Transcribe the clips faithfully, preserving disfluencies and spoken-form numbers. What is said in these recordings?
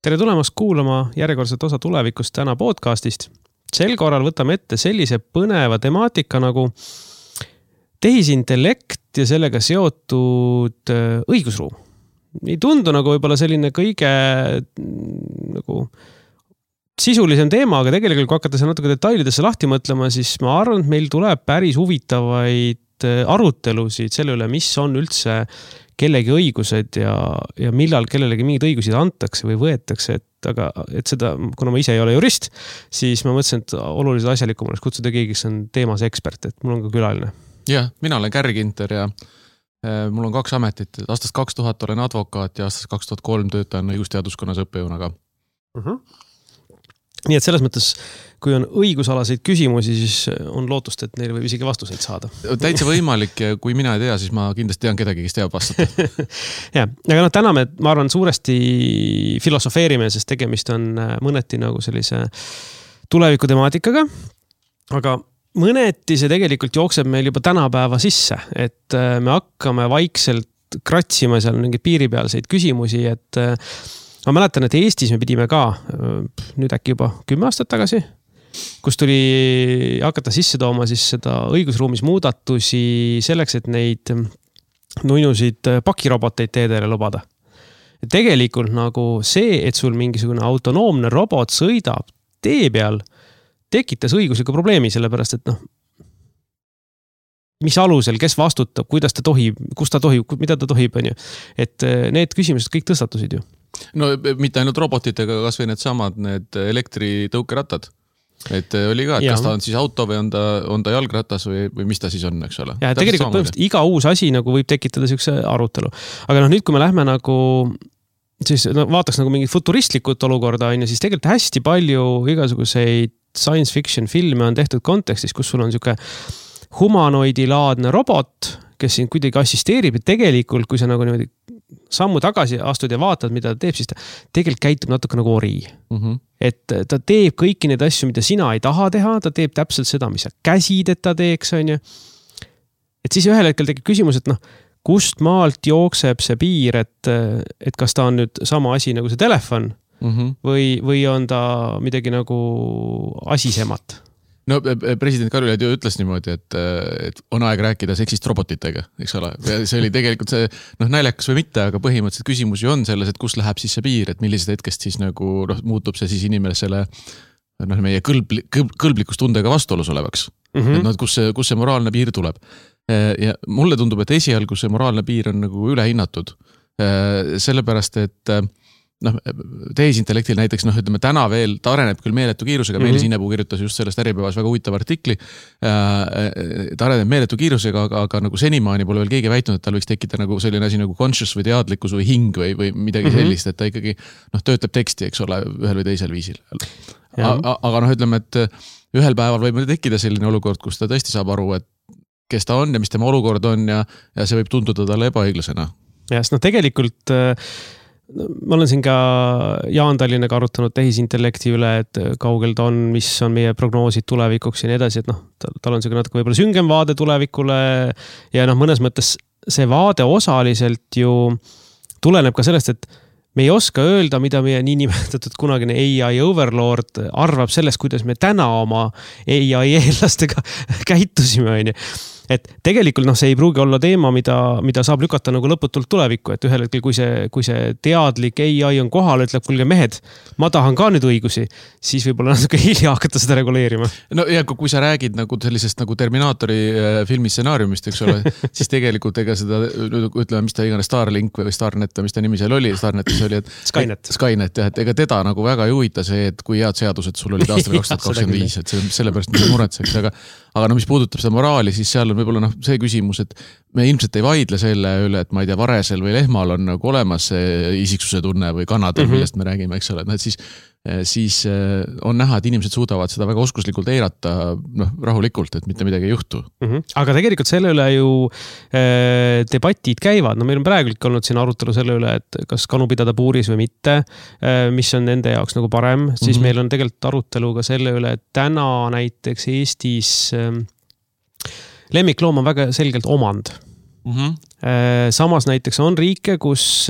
Tere tulemast kuulama järjekordset osa tulevikust täna podcastist. Sel korral võtame ette sellise põneva temaatika nagu tehisintellekt ja sellega seotud õigusruum. Ei tundu nagu võib-olla selline kõige nagu sisulisem teema, aga tegelikult kui hakata natuke detailidesse lahti mõtlema, siis ma arvan, et meil tuleb päris huvitavaid arutelusid selle üle, mis on üldse kellegi õigused ja, ja millal kellelegi mingid õigusid antakse või võetakse, et, aga, et seda, kuna ma ise ei ole jurist, siis ma mõtlesin, et oluliselt asjalikum oleks kutsuda keegi, kes on teemas ekspert, et mul on ka külaline. Jah, mina olen Kärri Ginter ja äh, mul on kaks ametit. Aastast kaks tuhat olen advokaat ja aastast kaks tuhat kolm töötan õigusteaduskonnas õppejõunaga. Uh-huh. Nii et selles mõttes, kui on õigusalaseid küsimusi, siis on lootust, et neile võib isegi vastuseid saada. Täitsa võimalik ja kui mina ei tea, siis ma kindlasti tean kedagi, kes teab vastata. ja, aga no täna me, ma arvan, suuresti filosofeerime, sest tegemist on mõneti nagu sellise tuleviku temaatikaga, aga mõneti see tegelikult jookseb meil juba tänapäeva sisse, et me hakkame vaikselt kratsima seal mingeid piiripealseid küsimusi, et ma mäletan, et Eestis me pidime ka nüüd äkki juba kümme aastat tagasi, kus tuli hakata sisse tooma siis seda õigusruumis muudatusi selleks, et neid nuinusid pakiroboteid teedele lubada. Tegelikult nagu see, et sul mingisugune autonoomne robot sõidab tee peal, tekitas õigusliku probleemi, sellepärast et noh, mis alusel, kes vastutab, kuidas ta tohib, kus ta tohib, mida ta tohib, on ju. Et need küsimused kõik tõstatusid ju. No mitte ainult robotitega, kas või need samad, need elektritõukerattad. Et oli ka, et kas ta on siis auto või on ta, on ta jalgratas või, või mis ta siis on, eks ole. Ja tegelikult põhimõtteliselt iga uus asi nagu võib tekitada sellise arutelu. Aga noh, nüüd kui me lähme nagu, siis no, vaataks nagu mingit futuristlikut olukorda, on, siis tegelikult hästi palju igasuguseid science fiction filme on tehtud kontekstis, kus sul on siuke humanoidilaadne robot, kes siin kuidagi assisteerib ja tegelikult, kui sa nagu niimoodi sammu tagasi astud ja vaatad, mida ta teeb, siis ta tegelikult käitub natuke nagu ori. Mm-hmm. Et ta teeb kõiki neid asju, mida sina ei taha teha, ta teeb täpselt seda, mis sa käsid, et ta teeks, on ju. Et siis ühel hetkel tekib küsimus, et noh, kust maalt jookseb see piir, et, et kas ta on nüüd sama asi nagu see telefon mm-hmm. või, või on ta midagi nagu asisemat. No president Kaljulaid ju ütles niimoodi, et, et on aeg rääkida seksist robotitega, eks ole. Ja see oli tegelikult see, noh, naljakas või mitte, aga põhimõtteliselt küsimus ju on selles, et kus läheb siis see piir, et millised hetkest siis nagu noh, muutub see siis inimesele noh, meie kõlb, kõlb, kõlblikustundega vastuolus olevaks. Mm-hmm. Et noh, kus see, kus see moraalne piir tuleb. Ja mulle tundub, et esialgu see moraalne piir on nagu ülehinnatud. Sellepärast, et noh, tehisintellektil näiteks, noh, ütleme täna veel, ta areneb küll meeletu kiirusega, mm-hmm. Meelis Innepuu kirjutas just sellest Äripäevas väga huvitav artikli, ta areneb meeletu kiirusega, aga, aga nagu senimaani pole veel keegi väitnud, et tal võiks tekkida nagu selline asi nagu conscious või teadlikkus või hing või, või midagi mm-hmm. sellist, et ta ikkagi noh, töötleb teksti, eks ole, ühel või teisel viisil. Aga, aga noh, ütleme, et ühel päeval võib tekkida selline olukord, kus ta tõesti saab aru, et kes ta on ja mis tema olukord on ja, ja see võib tunduda talle ebaõiglasena. Ja, sest noh, tegelikult ma olen siin ka Jaan Tallinnaga arutanud tehisintellekti üle, et kaugel ta on, mis on meie prognoosid tulevikuks ja nii edasi, et noh, tal on see natuke võib-olla süngem vaade tulevikule ja noh, mõnes mõttes see vaade osaliselt ju tuleneb ka sellest, et me ei oska öelda, mida meie niinimetatud kunagine A I overlord arvab sellest, kuidas me täna oma A I eellastega käitusime, on ju. Et tegelikult noh, see ei pruugi olla teema, mida, mida saab lükata nagu lõputult tulevikku, et ühel hetkel, kui see, kui see teadlik A I on kohal, ütleb, kuulge mehed, ma tahan ka nüüd õigusi, siis võib-olla natuke hilja hakata seda reguleerima. No ja kui sa räägid nagu sellisest nagu Terminaatori filmi stsenaariumist, eks ole, siis tegelikult ega seda, ütleme, mis ta igane Starlink või Starnet, mis ta nimi seal oli, Starnetis oli, et Skynet, Skynet jah, et ega teda nagu väga ei huvita see, et kui head seadused sul olid aastal kaks tuhat kakskümmend viis, et see, sellepärast mis muretseks, aga, aga no mis puudutab seda moraali, siis seal on võib-olla noh, see küsimus, et me ilmselt ei vaidle selle üle, et ma ei tea, varesel või lehmal on nagu olemas see isiksuse tunne või kannadel, mm-hmm. millest me räägime, eks ole, et siis, siis on näha, et inimesed suudavad seda väga oskuslikult eirata noh, rahulikult, et mitte midagi ei juhtu. Mm-hmm. Aga tegelikult selle üle ju äh, debatid käivad, no meil on praegu olnud siin arutelu selle üle, et kas kanu pidada puuris või mitte, äh, mis on nende jaoks nagu parem, siis mm-hmm. meil on tegelikult arutelu ka selle üle, et täna näiteks Eestis äh, lemmikloom on väga selgelt omand. Mm-hmm. Samas näiteks on riike, kus,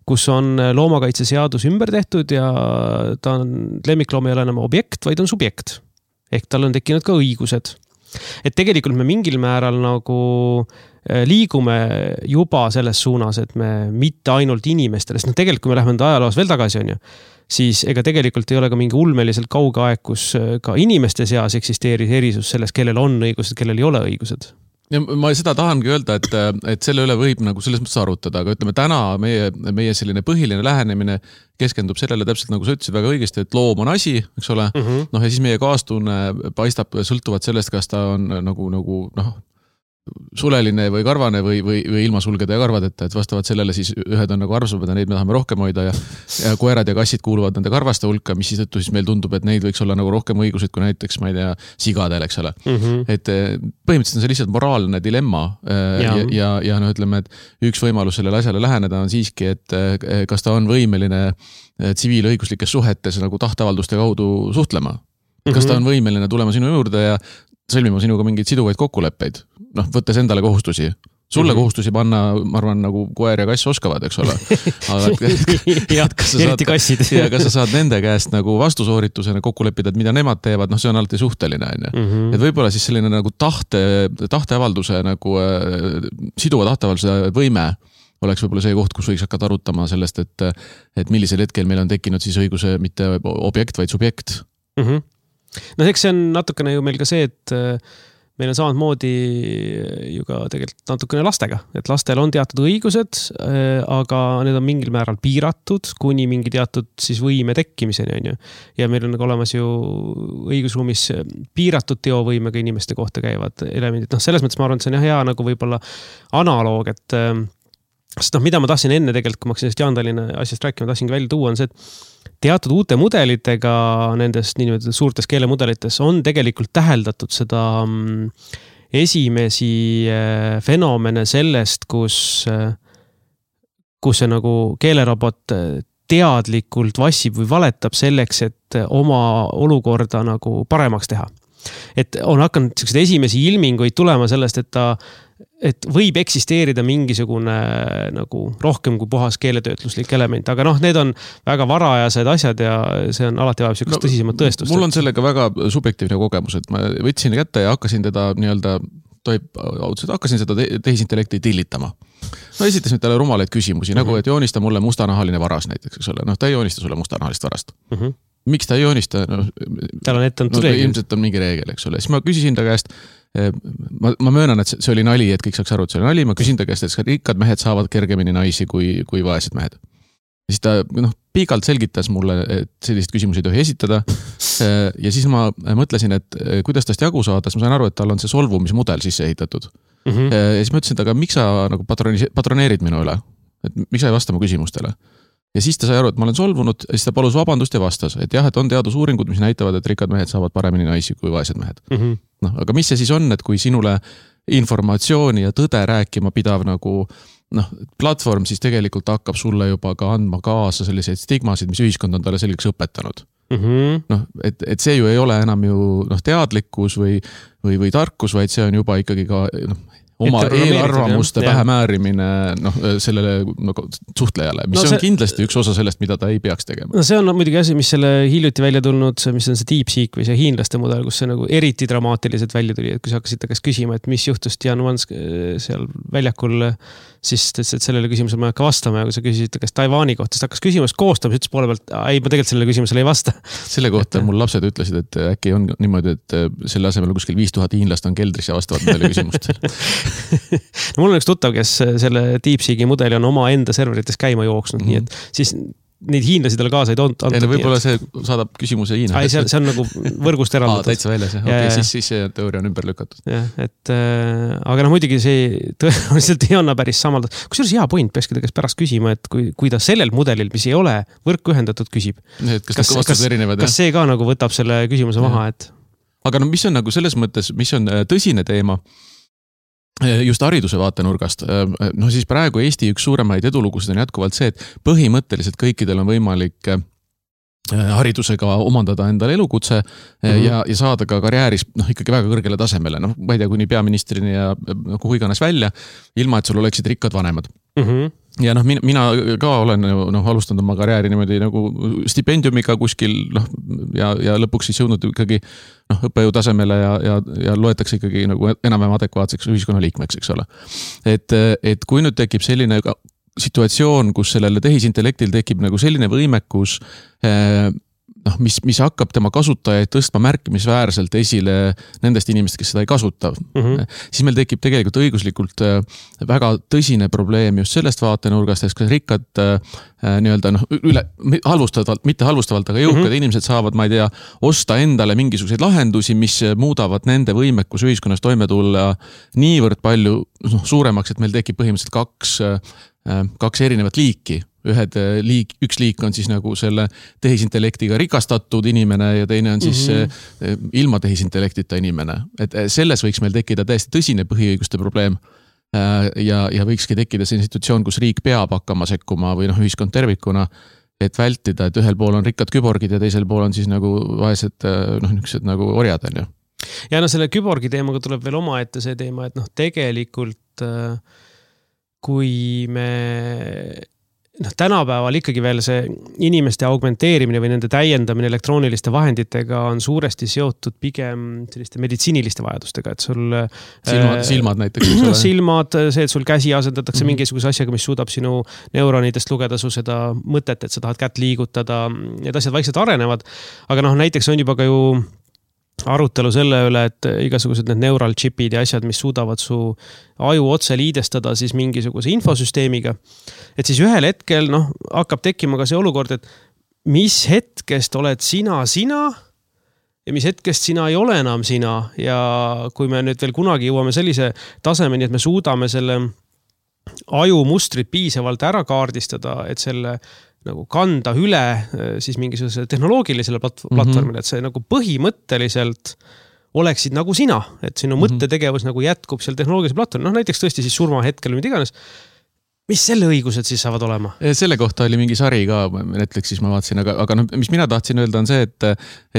kus on loomakaitseseadus ümber tehtud ja ta on, lemmikloom ei ole enam objekt, vaid on subjekt. Ehk tal on tekkinud ka õigused. Et tegelikult me mingil määral nagu liigume juba selles suunas, et me mitte ainult inimestele, sest no tegelikult kui me lähme enda ajaloos veel tagasi on ju, siis ega tegelikult ei ole ka mingi ulmeliselt kauge aeg, kus ka inimeste seas eksisteeris erisus selles, kellel on õigused, kellel ei ole õigused. Ja ma seda tahangi öelda, et, et selle üle võib nagu selles mõttes arutada, aga ütleme täna meie, meie selline põhiline lähenemine keskendub sellele täpselt nagu sa ütlesid väga õigesti, et loom on asi, eks ole, mm-hmm. noh ja siis meie kaastunne paistab sõltuvat sellest, kas ta on nagu, nagu noh, suleline või karvane või, või, või ilma sulgede ja karvadeta, et vastavalt sellele siis ühed on nagu arvsamad ja neid me tahame rohkem hoida ja, ja koerad ja kassid kuuluvad nende karvaste hulka, mis siis tõttu siis meil tundub, et neid võiks olla nagu rohkem õigused kui näiteks, ma ei tea, sigadel, eks ole. Mm-hmm. Et põhimõtteliselt on see lihtsalt moraalne dilemma ja, ja, ja, ja no ütleme, et üks võimalus sellele asjale läheneda on siiski, et kas ta on võimeline tsiviilõiguslikes suhetes nagu tahteavalduste kaudu suhtlema. Kas ta on võimeline tulema sinu juurde ja sõlmima sinuga mingeid siduvaid kokkuleppeid, noh, võttes endale kohustusi. Sulle mm-hmm. kohustusi panna, ma arvan, nagu koer ja kass oskavad, eks ole. Aga ja, eriti kassid. Ja kas sa saad nende käest nagu vastusooritusena kokku leppida, et mida nemad teevad, noh, see on alati suhteline. Mm-hmm. Et võib-olla siis selline nagu tahte, tahteavalduse, nagu äh, siduva tahteavalduse võime oleks võib-olla see koht, kus võiks hakata arutama sellest, et, et millisel hetkel meil on tekkinud siis õiguse mitte objekt, vaid subjekt. Mhm. No eks see on natukene ju meil ka see, et meil on samad moodi ju ka tegelikult natukene lastega, et lastel on teatud õigused, aga need on mingil määral piiratud, kuni mingi teatud siis võime tekkimiseni on ju. Ja meil on nagu olemas ju õigusruumis piiratud teovõimega inimeste kohta käivad elemendid. No selles mõttes ma arvan, et see on hea nagu võib-olla analoog, et sest noh, mida ma tahtsin enne tegelikult, kui ma hakkasin sellest Jaan Tallinna asjast rääkima, tahtsingi välja tuua, on see, et teatud uute mudelitega nendest nii-öelda suurtes keelemudelites on tegelikult täheldatud seda esimesi fenomene sellest, kus, kus see nagu keelerobot teadlikult vassib või valetab selleks, et oma olukorda nagu paremaks teha. Et on hakanud sellised esimesi ilminguid tulema sellest, et ta et võib eksisteerida mingisugune nagu rohkem kui puhas keeletöötluslik element, aga noh, need on väga varajased asjad ja see on alati vajab sellist no, tõsisemat tõestust. Mul on sellega väga subjektiivne kogemus, et ma võtsin kätte ja hakkasin teda nii-öelda, toib, hakkasin seda tehisintellekti tillitama. No esitasin talle rumalaid küsimusi, mm-hmm. nagu et joonista mulle mustanahaline varas näiteks, eks ole. Noh, ta ei joonista sulle mustanahalist varast. Mm-hmm. Miks ta ei joonista? No, tal on ette on no, ilmselt on mingi reegel, eks ole. Siis ma küsisin ta käest, ma, ma möönan, et see oli nali, et kõik saaks aru, et see oli nali. Ma küsin ta käest, et rikkad mehed saavad kergemini naisi kui, kui vaesed mehed. Ja siis ta noh, piigalt selgitas mulle, et sellist küsimusi ei tohi esitada. Ja siis ma mõtlesin, et kuidas tast jagu saada, siis ma sain aru, et tal on see solvumismudel sisse ehitatud. Mm-hmm. Ja siis ma ütlesin, et aga miks sa nagu patroneerid minu üle? Et miks sa ei vasta mu küsimustele? Ja siis ta sai aru, et ma olen solvunud, ja siis ta palus vabandust ja vastas, et jah, et on teadusuuringud, mis näitavad, et rikkad mehed saavad paremini naisi kui vaesed mehed. Mm-hmm. No, aga mis see siis on, et kui sinule informatsiooni ja tõde rääkima pidav nagu noh, platvorm siis tegelikult hakkab sulle juba ka andma kaasa selliseid stigmasid, mis ühiskond on talle selgeks õpetanud. Mm-hmm. Noh, et, et see ju ei ole enam ju noh, teadlikkus või, või, või tarkus, vaid see on juba ikkagi ka noh, oma eelarvamuste pähe määrimine noh, sellele nagu, suhtlejale, mis no see, on kindlasti üks osa sellest, mida ta ei peaks tegema. No see on muidugi asi, mis selle hiljuti välja tulnud, mis on see DeepSeek või see hiinlaste mudel, kus see nagu eriti dramaatiliselt välja tuli, et kui sa hakkasid ta käest küsima, et mis juhtus Jan Vans seal väljakul, siis et sellele küsimusele ma ei hakka vastama ja kui sa küsisid ta käest Taiwani kohta, siis hakkas küsimus koostama, siis ütles poole pealt, ei, ma tegelikult sellele küsimusele ei vasta. Selle kohta et, mul lapsed ütlesid, et äkki on niimoodi, et selle asemel kuskil viis tuhat hiinlast on keldris ja vastavad nendele küsimustele. No mul on üks tuttav, kes selle DeepSeeki mudeli on oma enda serverites käima jooksnud, mm-hmm. nii et siis neid hiinlasi talle kaasa ei tont. Ja võib-olla see saadab küsimuse Hiina. Ai, see, see on nagu võrgust eraldatud. Aa, täitsa väljas, jah. Okei, siis, siis see teooria on ümber lükatud. Jah, et äh, aga noh, muidugi see tõenäoliselt ei anna päris samal. Kusjuures hea point, peakski ta käest pärast küsima, et kui, kui ta sellel mudelil, mis ei ole võrku ühendatud, küsib. Et kas, kas, kas, erinevad, kas see ka nagu võtab selle küsimuse maha, et... Aga no mis on nagu selles mõttes, mis on tõsine teema, just hariduse vaatenurgast, no siis praegu Eesti üks suuremaid edulugusid on jätkuvalt see, et põhimõtteliselt kõikidel on võimalik haridusega omandada endale elukutse mm-hmm. ja, ja saada ka karjääris noh, ikkagi väga kõrgele tasemele, noh, ma ei tea, kuni peaministrini ja kuhu iganes välja, ilma et sul oleksid rikkad vanemad. Mm-hmm. Ja noh, mina, mina ka olen noh, alustanud oma karjääri niimoodi nagu stipendiumiga kuskil noh, ja, ja lõpuks siis jõudnud ikkagi noh, õppejõu tasemele ja, ja, ja loetakse ikkagi nagu enam-vähem adekvaatseks ühiskonnaliikmeks, eks ole. Et, et kui nüüd tekib selline situatsioon, kus sellele tehisintellektil tekib nagu selline võimekus, noh, mis, mis hakkab tema kasutajaid tõstma märkimisväärselt esile nendest inimest, kes seda ei kasuta, mm-hmm. siis meil tekib tegelikult õiguslikult väga tõsine probleem just sellest vaatenurgast, et kas rikkad nii-öelda noh, üle, halvustavalt, mitte halvustavalt, aga jõukad mm-hmm. inimesed saavad, ma ei tea, osta endale mingisuguseid lahendusi, mis muudavad nende võimekus ühiskonnas toime tulla niivõrd palju noh, suuremaks, et meil tekib põhimõtteliselt kaks kaks erinevat liiki. Ühed liik, üks liik on siis nagu selle tehisintellektiga rikastatud inimene ja teine on siis mm-hmm. ilma tehisintellektita inimene. Et selles võiks meil tekkida täiesti tõsine põhiõiguste probleem ja, ja võikski tekkida see institutsioon, kus riik peab hakkama sekkuma või noh, ühiskond tervikuna, et vältida, et ühel pool on rikkad küborgid ja teisel pool on siis nagu vaesed noh, niisugused nagu orjad on ju. Ja no selle küborgi teemaga tuleb veel oma ette see teema, et noh, tegelikult kui me noh, tänapäeval ikkagi veel see inimeste augmenteerimine või nende täiendamine elektrooniliste vahenditega on suuresti seotud pigem selliste meditsiiniliste vajadustega, et sul silmad, äh, silmad näiteks. No, silmad, see, et sul käsi asendatakse mm-hmm. mingisuguse asjaga, mis suudab sinu neuronidest lugeda su seda mõtet, et sa tahad kätt liigutada, need asjad vaikselt arenevad, aga noh, näiteks on juba ka ju arutelu selle üle, et igasugused need neural chipid ja asjad, mis suudavad su aju otse liidestada siis mingisuguse infosüsteemiga. Et siis ühel hetkel noh, hakkab tekkima ka see olukord, et mis hetkest oled sina sina ja mis hetkest sina ei ole enam sina. Ja kui me nüüd veel kunagi jõuame sellise tasemeni, et me suudame selle aju mustrit piisavalt ära kaardistada, et selle nagu kanda üle siis mingisuguse tehnoloogilisele platvormile, mm-hmm. et see nagu põhimõtteliselt oleksid nagu sina, et sinu mm-hmm. mõttetegevus nagu jätkub seal tehnoloogilisel platvormil, noh näiteks tõesti siis surma hetkel või mida iganes. Mis selle õigused siis saavad olema? Selle kohta oli mingi sari ka, Netflixis ma vaatasin, aga, aga no, mis mina tahtsin öelda on see, et,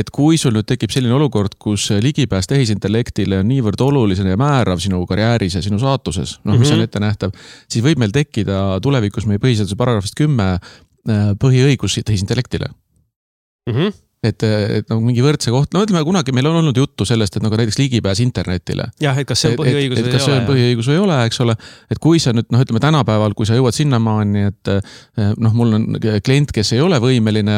et kui sul nüüd tekib selline olukord, kus ligipääs tehisintellektile on niivõrd oluline ja määrav sinu karjääris ja sinu saatuses, noh, mis mm-hmm. on ette nähtav, siis võib meil tekkida tulevikus meie põhiseaduse paragrahvist kümme põhiõigus tehisintellektile. Mm-hmm. Et, et nagu mingi võrdse koht, no ütleme kunagi meil on olnud juttu sellest, et nagu näiteks ligipääs internetile. Jah, et kas see on põhiõigus et, et, või ei ole. Kas see on põhiõigus või ei ole, eks ole. Et kui sa nüüd, noh ütleme tänapäeval, kui sa jõuad sinnamaani, et noh, mul on klient, kes ei ole võimeline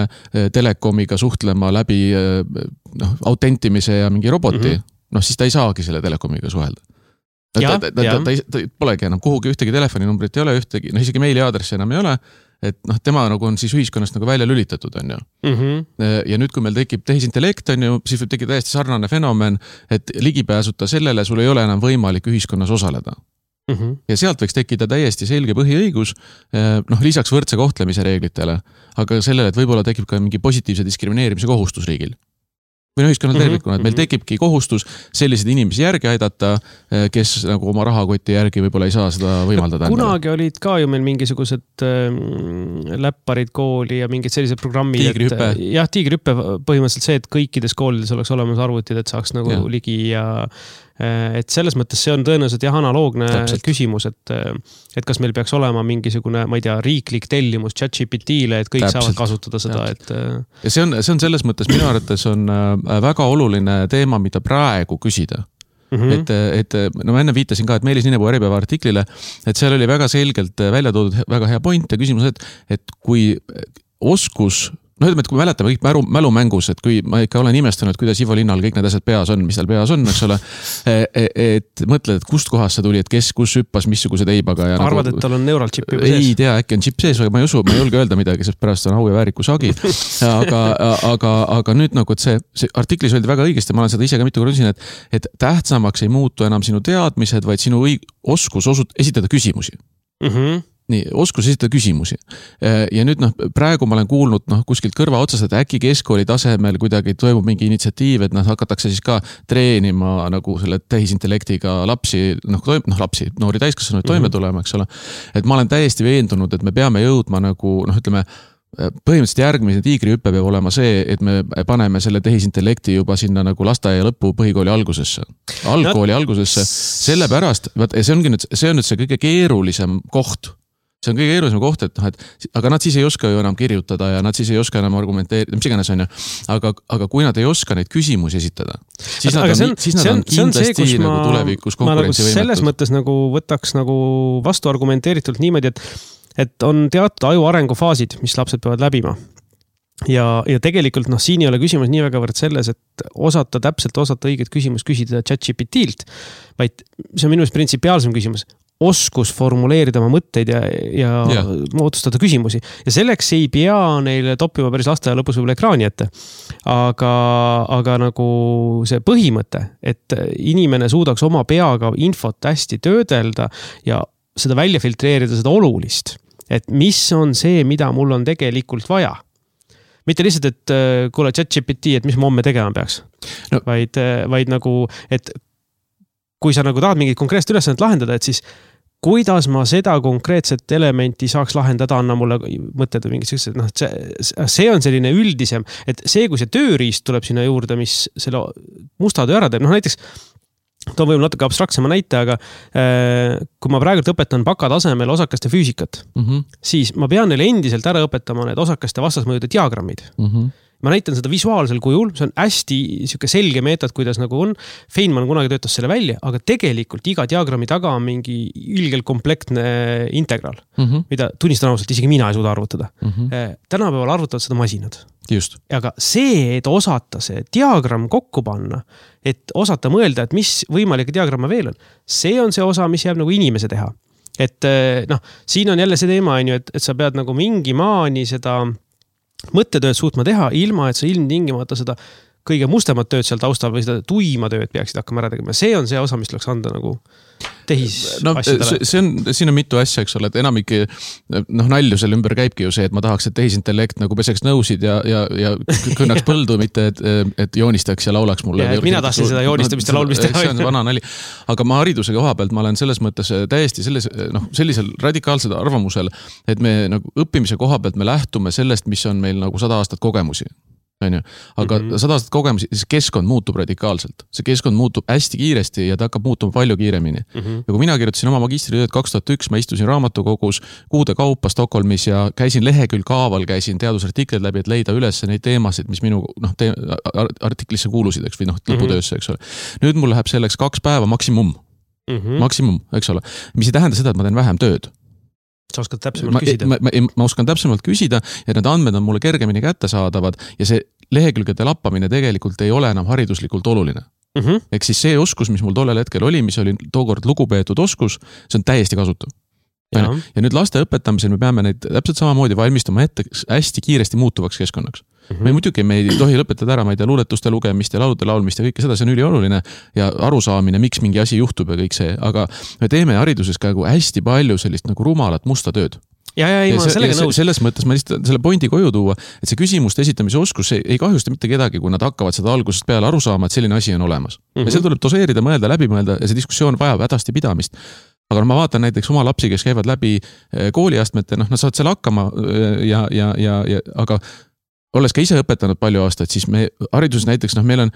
telekomiga suhtlema läbi noh, autentimise ja mingi roboti, mm-hmm. noh siis ta ei saagi selle telekomiga suhelda. Ta, ta, ta, ta, ta, ta polegi enam kuhugi ühtegi telefoninumbrit ei ole, ühtegi, noh isegi meiliaadressi enam ei ole, et noh, tema nagu on siis ühiskonnast nagu välja lülitatud, on ju. Mm-hmm. Ja nüüd, kui meil tekib tehisintellekt, on ju, siis võib tekkida täiesti sarnane fenomen, et ligipääsuta sellele sul ei ole enam võimalik ühiskonnas osaleda. Mm-hmm. Ja sealt võiks tekkida täiesti selge põhiõigus, noh lisaks võrdse kohtlemise reeglitele, aga sellele, et võib-olla tekib ka mingi positiivse diskrimineerimise kohustus riigil. Või no ühiskonnal tervikuna, et meil tekibki kohustus selliseid inimesi järgi aidata, kes nagu oma rahakoti järgi võib-olla ei saa seda võimaldada. Kunagi endale. Olid ka ju meil mingisugused äh, läpparid kooli ja mingid sellised programmid. Tiigrihüppe. Jah, tiigrihüppe põhimõtteliselt see, et kõikides koolides oleks olemas arvutid, et saaks nagu ja. Ligi ja et selles mõttes see on tõenäoliselt jah analoogne Täpselt. Küsimus, et, et kas meil peaks olema mingisugune, ma ei tea, riiklik tellimus ChatGPT-le, et kõik Täpselt. Saavad kasutada seda. Et... Ja see on, see on selles mõttes minu arvates on väga oluline teema, mida praegu küsida. Mm-hmm. Et, et no ma enne viitasin ka, et Meelis Ninepuu Äripäeva artiklile, et seal oli väga selgelt välja toodud väga hea point ja küsimus, et, et kui oskus no ütleme, et kui me mäletame kõik mälu, mälumängus, et kui ma ikka olen imestanud, kuidas Ivo Linnal kõik need asjad peas on, mis tal peas on, eks ole, et mõtled, et kust kohast see tuli, et kes, kus hüppas, missuguse teibaga. Ja arvad, nagu, et tal on neural chip juba sees? Ei tea, äkki on chip sees, aga ma ei usu, ma ei julge öelda midagi, sest pärast on au ja vääriku sagi. Aga, aga, aga nüüd nagu, et see, see artiklis öeldi väga õigesti, ma olen seda ise ka mitu korda üsin, et, et tähtsamaks ei muutu enam sinu teadmised, vaid sinu õig- oskus osut- esitada küsimusi. Mhm. Nii, oskus esitada küsimusi. Ja nüüd noh, praegu ma olen kuulnud noh, kuskilt kõrva otsast, et äkki keskkooli tasemel kuidagi toimub mingi initsiatiiv, et noh, hakatakse siis ka treenima nagu selle tehisintellektiga lapsi, noh, toim, noh lapsi, noori täiskasvanuid toime tulema, eks ole. Et ma olen täiesti veendunud, et me peame jõudma nagu, noh, ütleme, põhimõtteliselt järgmine tiigrihüpe peab olema see, et me paneme selle tehisintellekti juba sinna nagu lasteaia lõppu põhikooli algusesse. Algkooli no, algusesse. Sellepärast, see ongi nüüd, see on nüüd see kõige keerulisem koht. See on kõige keerulisem koht, et, noh, et aga nad siis ei oska ju enam kirjutada ja nad siis ei oska enam argumenteerida, mis iganes on ju. Aga, aga kui nad ei oska neid küsimusi esitada, siis nad on, on, siis nad on, on kindlasti see, nagu tulevikus konkurentsivõimetud. Nagu selles mõttes nagu võtaks nagu vastu argumenteeritult niimoodi, et, et on teatud aju arengufaasid, mis lapsed peavad läbima. Ja, ja tegelikult noh, siin ei ole küsimus nii väga võrd selles, et osata täpselt osata õiget küsimus küsida ChatGPT-lt, vaid see on minu meelest printsipiaalsem küsimus. Oskus formuleerida oma mõtteid ja, ja yeah. otsustada küsimusi. Ja selleks ei pea neile toppima päris lasteaia lõpus võib-olla ekraani ette. Aga, aga nagu see põhimõte, et inimene suudaks oma peaga infot hästi töödelda ja seda välja filtreerida, seda olulist. Et mis on see, mida mul on tegelikult vaja. Mitte lihtsalt, et kuule ChatGPT, et mis ma homme tegema peaks. No. Vaid, vaid nagu, et kui sa nagu tahad mingit konkreetset ülesannet lahendada, et siis kuidas ma seda konkreetset elementi saaks lahendada, anna mulle mõtted või mingid sellised, noh, see, see on selline üldisem, et see, kui see tööriist tuleb sinna juurde, mis selle musta töö ära teeb, noh näiteks toon võib-olla natuke abstraktsema näite, aga äh, kui ma praegu õpetan baka tasemel osakaste füüsikat, mm-hmm. siis ma pean neile endiselt ära õpetama need osakaste vastasmõjude diagrammid. Mm-hmm. Ma näitan seda visuaalsel kujul, see on hästi siuke selge meetod, kuidas nagu on. Feynman kunagi töötas selle välja, aga tegelikult iga diagrammi taga on mingi ilgelt komplektne integral, mm-hmm. mida tunnistan ausalt, isegi mina ei suuda arvutada. Mm-hmm. Tänapäeval arvutavad seda masinad. Just. Aga see, et osata see diagramm kokku panna, et osata mõelda, et mis võimalikke diagramme veel on, see on see osa, mis jääb nagu inimese teha. Et noh, siin on jälle see teema, et, et sa pead nagu mingi maani seda mõttetööd suutma teha, ilma et sa ilmtingimata seda kõige mustemat tööd seal taustal või seda tuima tööd peaksid hakkama ära tegema. See on see osa, mis tuleks anda nagu tehis no, asjadele. See on, siin on mitu asja, eks ole, et enamik noh, nalju selle ümber käibki ju see, et ma tahaks, et tehisintellekt nagu peseks nõusid ja, ja, ja kõnnaks põldu, mitte et, et joonistaks ja laulaks mulle. Ja, mina tahtsin seda joonistamist ja laulmist teha. See on vana nali. Aga ma hariduse koha pealt, ma olen selles mõttes täiesti selles, noh, sellisel radikaalsel arvamusel, et me nagu õppimise koha pealt me lähtume sellest, mis on meil nagu sada aastat kogemusi. Aga mm-hmm. sada aastat kogemusi, siis keskkond muutub radikaalselt. See keskkond muutub hästi kiiresti ja ta hakkab muutuma palju kiiremini. Mm-hmm. Ja kui mina kirjutasin oma magistritööd kaks tuhat üks, ma istusin raamatukogus kuude kaupa Stockholmis ja käisin lehekülg kaaval, käisin teadusartiklid läbi, et leida üles neid teemasid, mis minu noh, te, artiklisse kuulusid, eks, või noh, lõputöösse, eks ole. Nüüd mul läheb selleks kaks päeva maksimum. Mm-hmm. Maksimum, eks ole. Mis ei tähenda seda, et ma teen vähem tööd. Sa oskad täpsemalt küsida. Ma, ma, ma oskan täpsemalt küsida ja need andmed on mulle kergemini kätte saadavad ja see lehekülgede lappamine tegelikult ei ole enam hariduslikult oluline. Mm-hmm. Ehk siis see oskus, mis mul tollel hetkel oli, mis oli tookord lugupeetud oskus, see on täiesti kasutav. Ja. ja nüüd laste õpetamisel me peame neid täpselt samamoodi valmistama ette hästi kiiresti muutuvaks keskkonnaks. Mm-hmm. Me muidugi me ei tohi lõpetada ära, ma ei tea, luuletuste lugemist ja laulude laulmist ja kõike seda, see on ülioluline ja arusaamine, miks mingi asi juhtub ja kõik see, aga me teeme hariduses ka hästi palju sellist nagu rumalat musta tööd. Ja, ja, ei, ma sellega nõus. Selles mõttes ma lihtsalt selle pointi koju tuua, et see küsimuste esitamise oskus see ei kahjusta mitte kedagi, kui nad hakkavad seda algusest peale aru saama, et selline asi on olemas. Mm-hmm. Ja seal tuleb doseerida, mõelda, läbi mõelda ja see diskussioon vajab hädasti pidamist. Aga no ma vaatan näiteks oma lapsi, kes käivad läbi kooliastmete, noh, nad saavad seal hakkama ja, ja, ja, ja aga olles ka ise õpetanud palju aastaid, siis me hariduses näiteks, noh, meil on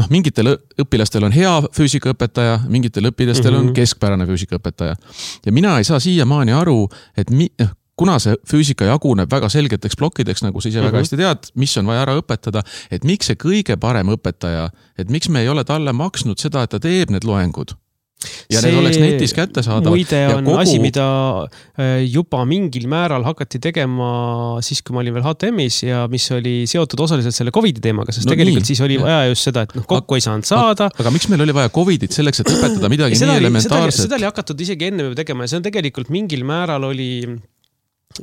noh, mingitel õpilastel on hea füüsikaõpetaja, mingitel õpilastel mm-hmm. on keskpärane füüsikaõpetaja. Ja mina ei saa siiamaani aru, et mi, kuna see füüsika jaguneb väga selgeteks plokkideks, nagu sa ise mm-hmm. väga hästi tead, mis on vaja ära õpetada, et miks see kõige parem õpetaja, et miks me ei ole talle maksnud seda, et ta teeb need loengud. Ja see need oleks netis kätte saada. Muide on kogu... asi, mida juba mingil määral hakati tegema siis, kui ma olin veel H T M-is ja mis oli seotud osaliselt selle Covidi teemaga, sest no tegelikult nii. Siis oli vaja just seda, et noh, kokku ei saanud saada. Aga, aga miks meil oli vaja Covidit selleks, et õpetada midagi nii oli, elementaarset? Seda oli, seda oli hakatud isegi enne tegema ja see on tegelikult mingil määral oli...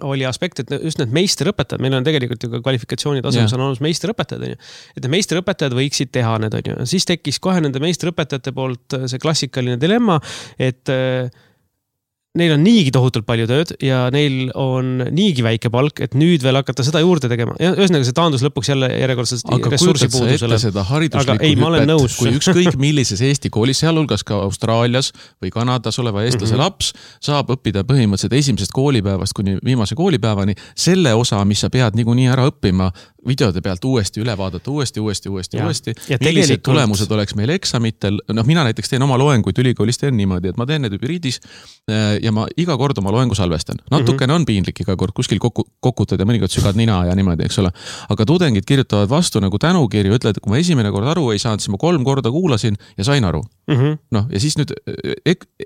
oli aspekt, et just need meisterõpetajad, meil on tegelikult ju ka kvalifikatsioonid asemes yeah. on olnud meisterõpetajad, et need meisterõpetajad võiksid teha need, on ju. Siis tekkis kohe nende meisterõpetajate poolt see klassikaline dilemma, et neil on niigi tohutult palju tööd ja neil on niigi väike palk, et nüüd veel hakata seda juurde tegema. Ja ühesõnaga see taandus lõpuks jälle järjekordselt ressursi puudusele. Seda hariduslikku ei, hüpet, kui ükskõik millises Eesti koolis, sealhulgas ka Austraalias või Kanadas oleva eestlase mm-hmm. laps saab õppida põhimõtteliselt esimesest koolipäevast kuni viimase koolipäevani selle osa, mis sa pead niikuinii ära õppima, videode pealt uuesti üle vaadata, uuesti, uuesti, uuesti, ja. uuesti. Ja millised tegelikult... tulemused oleks meil eksamitel. Noh, mina näiteks teen oma loenguid ülikoolis teen niimoodi, et ma teen need hübriidis ja ma iga kord oma loengu salvestan. Natukene mm-hmm. on piinlik iga kord kuskil kokku, kokutad ja mõnikord sügad nina ja niimoodi, eks ole. Aga tudengid kirjutavad vastu nagu tänukirju, ütlevad, et kui ma esimene kord aru ei saanud, siis ma kolm korda kuulasin ja sain aru. Mm-hmm. Noh, ja siis nüüd,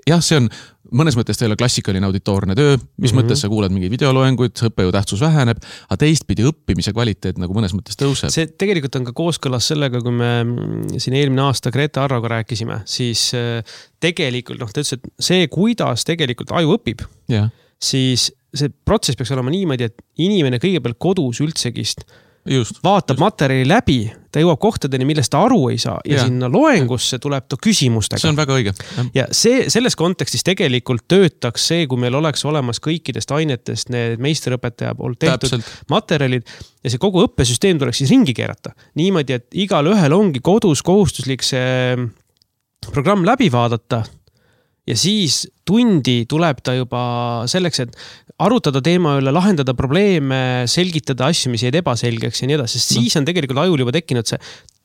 jah, see on mõnes mõttes teile klassikaline auditoorne töö, mis mm-hmm. mõttes sa kuulad mingi videoloenguid, õppejõu tähtsus väheneb, aga teistpidi õppimise kvaliteet nagu mõnes mõttes tõuseb. See tegelikult on ka kooskõlas sellega, kui me siin eelmine aasta Grete Arroga rääkisime, siis tegelikult, noh, ta ütles, et see, kuidas tegelikult aju õpib, yeah. siis see protsess peaks olema niimoodi, et inimene kõigepealt kodus üldsegist Just, vaatab just. materjali läbi, ta jõuab kohtadeni, millest ta aru ei saa ja, ja sinna loengusse tuleb ta küsimustega. See on väga õige. Ja, ja see, selles kontekstis tegelikult töötaks see, kui meil oleks olemas kõikidest ainetest need meisterõpetaja poolt tehtud Täpselt. materjalid ja see kogu õppesüsteem tuleks siis ringi keerata. Niimoodi, et igal ühel ongi kodus kohustuslik see programm läbi vaadata ja siis tundi tuleb ta juba selleks, et arutada teema üle, lahendada probleeme, selgitada asju, mis jäid ebaselgeks ja nii edasi, sest no. siis on tegelikult ajul juba tekkinud see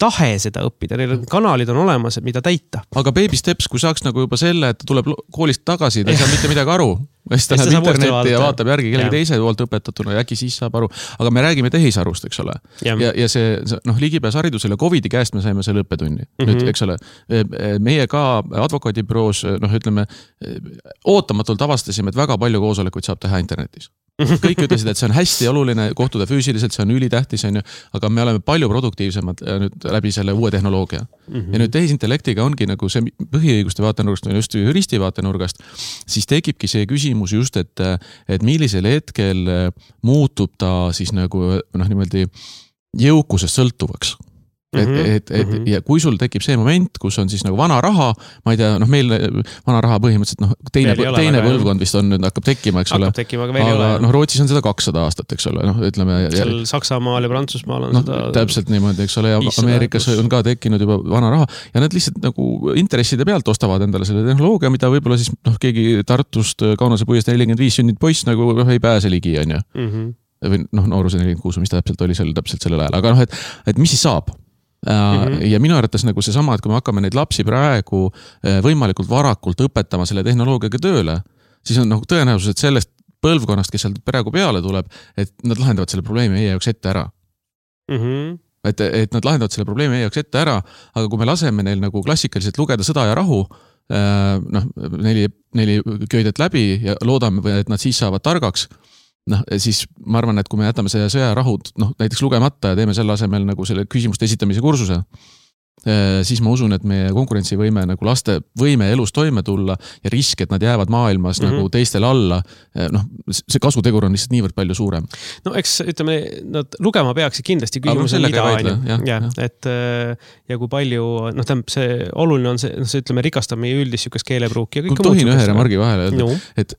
tahe seda õppida, neil kanalid on olemas, mida täita. Aga baby steps, kui saaks nagu juba selle, et ta tuleb koolist tagasi, ta ei saa mitte midagi aru, siis ta läheb internetti ja vaatab järgi kellegi teise poolt õpetatuna ja äkki siis saab aru. Aga me räägime tehisarust, eks ole. Ja, ja, ja see, noh, ligipääs haridusele Covidi käest me saime selle õppetunni. Mm-hmm. Nüüd, eks ole, meie ka advokaadibüroos, noh, ütleme, ootamatult avastasime, et väga palju koosolekuid saab teha internetis. Kõik ütlesid, et see on hästi oluline kohtuda füüsiliselt, see on ülitähtis, on ju, aga me oleme palju produktiivsemad nüüd läbi selle uue tehnoloogia. Mm-hmm. Ja nüüd tehisintellektiga ongi nagu see põhiõiguste vaatenurgast või just juristi vaatenurgast, siis tekibki see küsimus just, et, et millisel hetkel muutub ta siis nagu noh, niimoodi jõukusest sõltuvaks. Et, et, et, ja kui sul tekib see moment, kus on siis nagu vana raha, ma ei tea, noh meil vana raha põhimõtteliselt, noh teine, teine põlvkond vist on nüüd hakkab tekkima, eks ole. Tekkima, aga, aga noh Rootsis on seda kakssada aastat, eks ole, noh ütleme. Seal ja, Saksamaal ja Prantsusmaal on no, seda. Täpselt niimoodi, eks ole, ja Ameerikas on ka tekkinud juba vana raha ja nad lihtsalt nagu intresside pealt ostavad endale selle tehnoloogia, mida võib-olla siis noh keegi Tartust Kaunase puiest nelikümmend viis sünnid poiss nagu noh, ei pääse ligi, on ju. Mm-hmm. Või noh, nooruse nelikümmend kuus, mis täpselt oli seal täpselt sellel ajal, aga noh, et, et mis siis saab? Mm-hmm. Ja minu arvates nagu see sama, et kui me hakkame neid lapsi praegu võimalikult varakult õpetama selle tehnoloogiaga tööle, siis on nagu tõenäosus, et sellest põlvkonnast, kes seal praegu peale tuleb, et nad lahendavad selle probleemi meie jaoks ette ära. Mm-hmm. Et, et nad lahendavad selle probleemi meie jaoks ette ära, aga kui me laseme neil nagu klassikaliselt lugeda Sõda ja rahu, noh, neli, neli köidet läbi ja loodame, et nad siis saavad targaks, noh, siis ma arvan, et kui me jätame see sõja rahud, noh, näiteks lugemata ja teeme selle asemel nagu selle küsimuste esitamise kursuse, siis ma usun, et meie konkurentsivõime nagu laste võime elus toime tulla ja risk, et nad jäävad maailmas mm-hmm. nagu teistel alla, noh, see kasutegur on lihtsalt niivõrd palju suurem. No eks, ütleme, nad lugema peaksid kindlasti küsimus on mida ainu. Ja, ja, et ja kui palju, noh, tähendab, see oluline on see, noh, see ütleme, rikastab meie üldist sükast keelepruuki ja kõik on tohin ühe remargi vahele öelda, no. et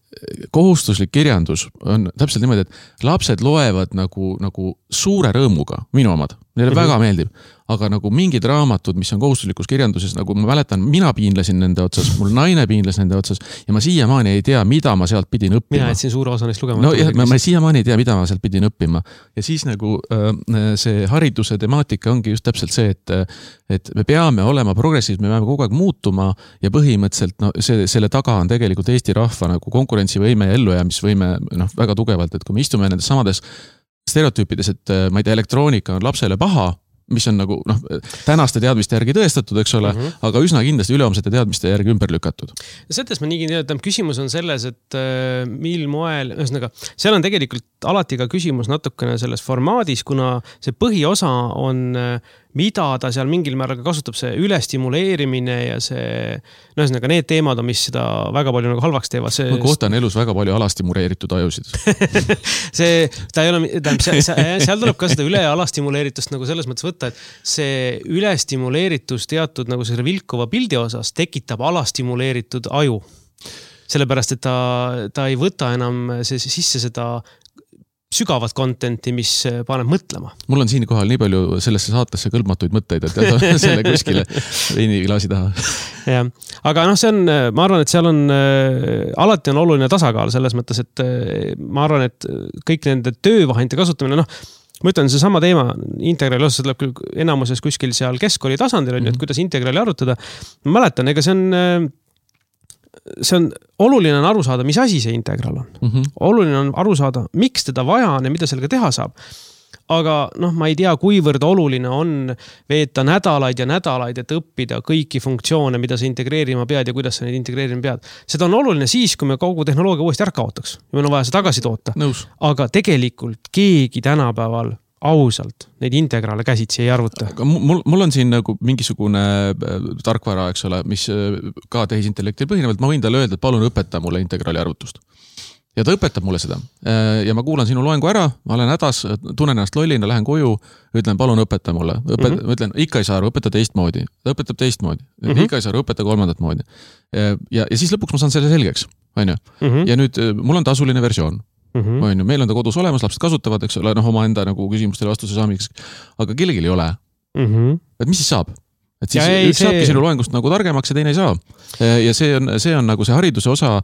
kohustuslik kirjandus on täpselt niimoodi, et lapsed loevad nagu, nagu suure rõõmuga, minu omad, neile mm-hmm. väga meeldib. Aga nagu mingid raamatud, mis on kohustuslikus kirjanduses, nagu ma mäletan, mina piinlesin nende otsas, mul naine piinles nende otsas ja ma siiamaani ei tea, mida ma sealt pidin õppima. Mina jätsin suure osa neist lugema. No jah, ma, ma siiamaani ei tea, mida ma sealt pidin õppima. Ja siis nagu äh, see hariduse temaatika ongi just täpselt see, et, et me peame olema progressiivsed, me peame kogu aeg muutuma ja põhimõtteliselt no, see, selle taga on tegelikult Eesti rahva nagu konkurentsivõime ja ellujäämisvõime no, väga tugevalt, et kui me istume nendes samades stereotüüpides, et ma ei tea, elektroonika on lapsele paha, mis on nagu noh, tänaste teadmiste järgi tõestatud, eks ole, mm-hmm. aga üsna kindlasti üleomsete teadmiste järgi ümber lükatud. Selles ma nii tean, küsimus on selles, et äh, mil moel, ühesõnaga, seal on tegelikult alati ka küsimus natukene selles formaadis, kuna see põhiosa on, mida ta seal mingil määral kasutab, see ülestimuleerimine ja see, no ühesõnaga, need teemad on, mis seda väga palju nagu halvaks teevad. See... Ma kohtan elus väga palju alastimuleeritud ajusid. see, ta ei ole, tähendab, seal tuleb ka seda üle alastimuleeritust nagu selles mõttes võtta, et see ülestimuleeritus teatud nagu selle vilkuva pildi osas tekitab alastimuleeritud aju. sellepärast, et ta, ta ei võta enam see, sisse seda sügavat contenti, mis paneb mõtlema. Mul on siin kohal nii palju sellesse saatesse kõlbmatuid mõtteid, et jäta selle kuskile veiniklaasi taha. Ja. Aga noh, see on, ma arvan, et seal on, alati on oluline tasakaal selles mõttes, et ma arvan, et kõik nende töövahendite kasutamine, noh, ma ütlen, see sama teema integraali osas tuleb küll enamuses kuskil seal keskkooli tasandil, on, mm-hmm. et kuidas integraali arutada. Ma mäletan, ega see on see on oluline on aru saada, mis asi see integral on. Mm-hmm. Oluline on aru saada, miks teda vaja on ja mida sellega teha saab. Aga noh, ma ei tea, kuivõrd oluline on veeta nädalaid ja nädalaid, et õppida kõiki funktsioone, mida sa integreerima pead ja kuidas sa neid integreerima pead. Seda on oluline siis, kui me kogu tehnoloogia uuesti ära kaotaks. Ja meil on vaja see tagasi toota. Nõus. Aga tegelikult keegi tänapäeval ausalt neid integraale käsitsi ei arvuta. Mul, mul on siin nagu mingisugune tarkvara, eks ole, mis ka tehisintellektil põhinevalt, ma võin talle öelda, et palun õpeta mulle integraali arvutust. Ja ta õpetab mulle seda. Ja ma kuulan sinu loengu ära, ma olen hädas, tunnen ennast lollina, lähen koju, ütlen, palun õpeta mulle. Õpeta, mm-hmm. Ma ütlen, ikka ei saa aru, õpeta teistmoodi. Ta õpetab teistmoodi. Mm-hmm. Ikka ei saa aru, õpeta kolmandat moodi. Ja, ja siis lõpuks ma saan selle selgeks. On ju? Mm-hmm. Ja nüüd mul on tasuline versioon. Mm-hmm. On ju, meil on ta kodus olemas, lapsed kasutavad, eks ole, noh, oma enda nagu küsimustele vastuse saamiseks, aga kellelgi ei ole. Mm-hmm. Et mis siis saab? Et siis ja ei, üks see... saabki sinu loengust nagu targemaks ja teine ei saa. Ja see on, see on nagu see hariduse osa,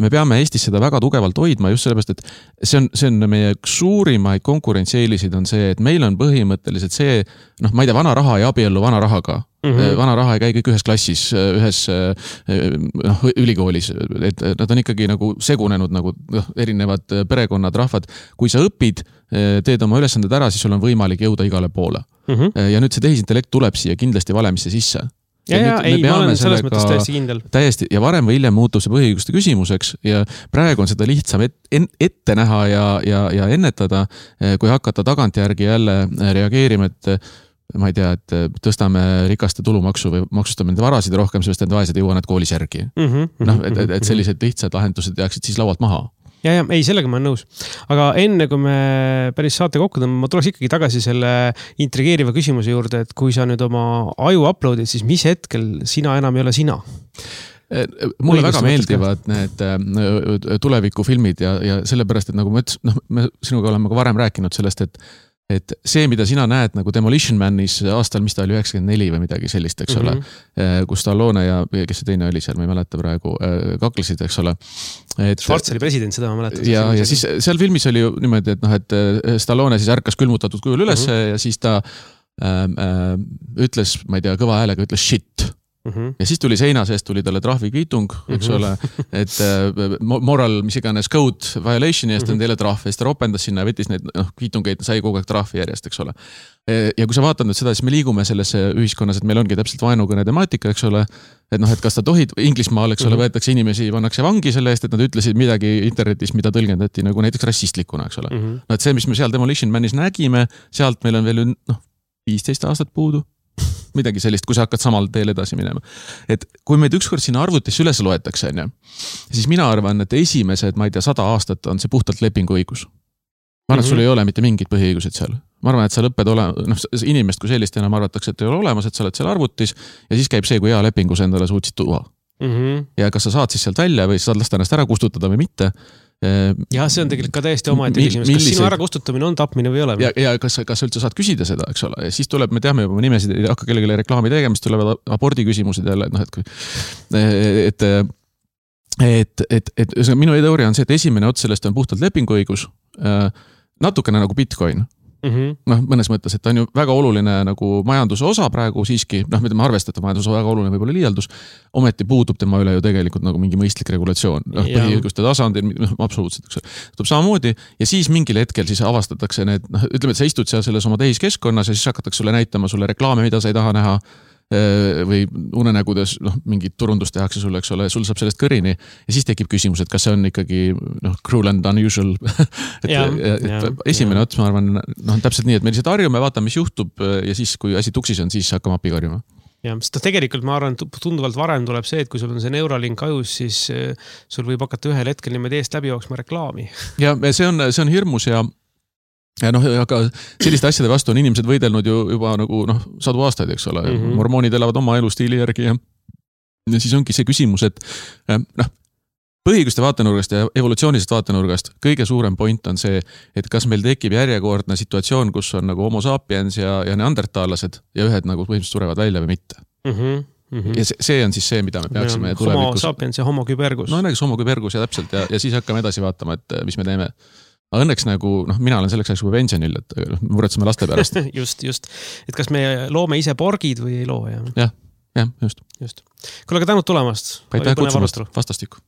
me peame Eestis seda väga tugevalt hoidma just sellepärast, et see on, see on meie suurimaid konkurentsieelisid on see, et meil on põhimõtteliselt see, noh, ma ei tea, vana raha ei abiellu vana rahaga. Mm-hmm. Vana raha ei käi kõik ühes klassis, ühes noh, ülikoolis, et nad on ikkagi nagu segunenud nagu noh, erinevad perekonnad, rahvad. Kui sa õpid, teed oma ülesanded ära, siis sul on võimalik jõuda igale poole. Mm-hmm. Ja nüüd see tehisintellekt tuleb siia kindlasti valemisse sisse. Ja, ja, ja ei, ma olen selles mõttes täiesti kindel. Täiesti, ja varem või hiljem muutub see põhiõiguste küsimuseks ja praegu on seda lihtsam et, ette näha ja, ja, ja ennetada, kui hakata tagantjärgi jälle reageerima, et ma ei tea, et tõstame rikaste tulumaksu või maksustame nende varasid rohkem, sellest need vaesed jõuavad need koolis järgi. Mm-hmm. No, et, et sellised lihtsad lahendused jääksid siis laualt maha. Ja, ja, ei, sellega ma olen nõus. Aga enne, kui me päris saate kokku tõmbame, ma tuleks ikkagi tagasi selle intrigeeriva küsimuse juurde, et kui sa nüüd oma aju uploadid, siis mis hetkel sina enam ei ole sina? Mulle väga meeldivad need tulevikufilmid ja, ja sellepärast, et nagu ma ütlesin, noh, me sinuga oleme ka varem rääkinud sellest, et et see, mida sina näed nagu Demolition Manis aastal, mis ta oli üheksakümmend neli või midagi sellist, eks ole, mm-hmm. kus Stallone ja kes see teine oli seal, ma ei mäleta praegu, kaklesid, eks ole. Et, Schwarz oli president, seda ma mäletan. Ja, ja siis seal filmis oli ju niimoodi, et noh, et Stallone siis ärkas külmutatud kujul üles mm-hmm. ja siis ta äh, äh, ütles, ma ei tea, kõva häälega ütles shit. Mm-hmm. Ja siis tuli seina seest, tuli talle trahvikviitung, eks mm-hmm. ole, et uh, moral, mis iganes code violationi eest on mm-hmm. teile trahv, ja siis ta ropendas sinna ja võttis neid noh, kviitungeid, sai kogu aeg trahvi järjest, eks ole. Ja kui sa vaatad nüüd seda, siis me liigume sellesse ühiskonnas, et meil ongi täpselt vaenukõne temaatika, eks ole, et noh, et kas ta tohid, Inglismaal, eks ole, mm-hmm. võetakse inimesi, pannakse vangi selle eest, et nad ütlesid midagi internetis, mida tõlgendati nagu näiteks rassistlikuna, eks ole. Mm-hmm. No, et see, mis me seal Demolition Manis nägime, sealt meil on veel noh, viisteist aastat puudu. Midagi sellist, kui sa hakkad samal teel edasi minema. Et kui meid ükskord sinna arvutisse üles loetakse, on ju, siis mina arvan, et esimesed, ma ei tea, sada aastat on see puhtalt lepinguõigus. Ma arvan, et sul ei ole mitte mingid põhiõigused seal. Ma arvan, et sa lõpped olema, noh, inimest kui sellist enam arvatakse, et ei ole olemas, et sa oled seal arvutis ja siis käib see, kui hea lepingus endale suutsid tuua. Mm-hmm. Ja kas sa saad siis sealt välja või saad lasta ennast ära kustutada või mitte. Ja see on tegelikult ka täiesti oma ette küsimus, kas sinu ära kustutamine on tapmine või ei ole? Ja, ja kas, kas sa üldse saad küsida seda, eks ole, ja siis tuleb, me teame juba nimesid, ei hakka kellegile reklaami tegemist, tulevad abordi küsimused jälle, noh, et kui, et, et, et, et, et minu teooria on see, et esimene ots sellest on puhtalt lepinguõigus, natukene nagu Bitcoin. Mm-hmm. noh, mõnes mõttes, et ta on ju väga oluline nagu majanduse osa praegu siiski, noh, mida me arvestada majanduse väga oluline võib-olla liialdus, ometi puudub tema üle ju tegelikult nagu mingi mõistlik regulatsioon, noh, põhiõiguste tasandil, noh, absoluutselt, eks. tuleb samamoodi ja siis mingil hetkel siis avastatakse need, noh, ütleme, et sa istud seal selles oma tehiskeskkonnas ja siis hakatakse sulle näitama sulle reklaame, mida sa ei taha näha või unenägudes, noh, mingid turundust tehakse sulle, eks ole, sul saab sellest kõrini ja siis tekib küsimus, et kas see on ikkagi, noh, cruel and unusual. et, ja, et ja, esimene ots, ma arvan, noh, täpselt nii, et me lihtsalt harjume, vaatame, mis juhtub ja siis, kui asi tuksis on, siis hakkame appi karjuma. Ja, sest tegelikult ma arvan, tunduvalt varem tuleb see, et kui sul on see Neuralink ajus, siis sul võib hakata ühel hetkel niimoodi eest läbi jooksma reklaami. Ja see on, see on hirmus ja Ja noh, aga selliste asjade vastu on inimesed võidelnud ju juba nagu noh, sadu aastaid, eks ole. Mm-hmm. Mormoonid elavad oma elustiili järgi ja, ja siis ongi see küsimus, et noh, põhiõiguste vaatenurgast ja evolutsioonilisest vaatenurgast kõige suurem point on see, et kas meil tekib järjekordne situatsioon, kus on nagu homo sapiens ja, ja neandertaalased ja ühed nagu põhimõtteliselt surevad välja või mitte. Mm-hmm. Mm-hmm. Ja see, see on siis see, mida me peaksime ja, tulevikus... Homo sapiens ja homo kübergus. No näiteks homo kübergus ja täpselt ja, ja siis hakkame edasi vaatama, et mis me teeme. Aga õnneks nagu, noh, mina olen selleks ajaks juba pensionil, et muretseme laste pärast. just, just. Et kas me loome ise porgid või ei loo? Jah, jah, just. just. Kuule, aga tänud tulemast. Aitäh kutsumast, vastastikku.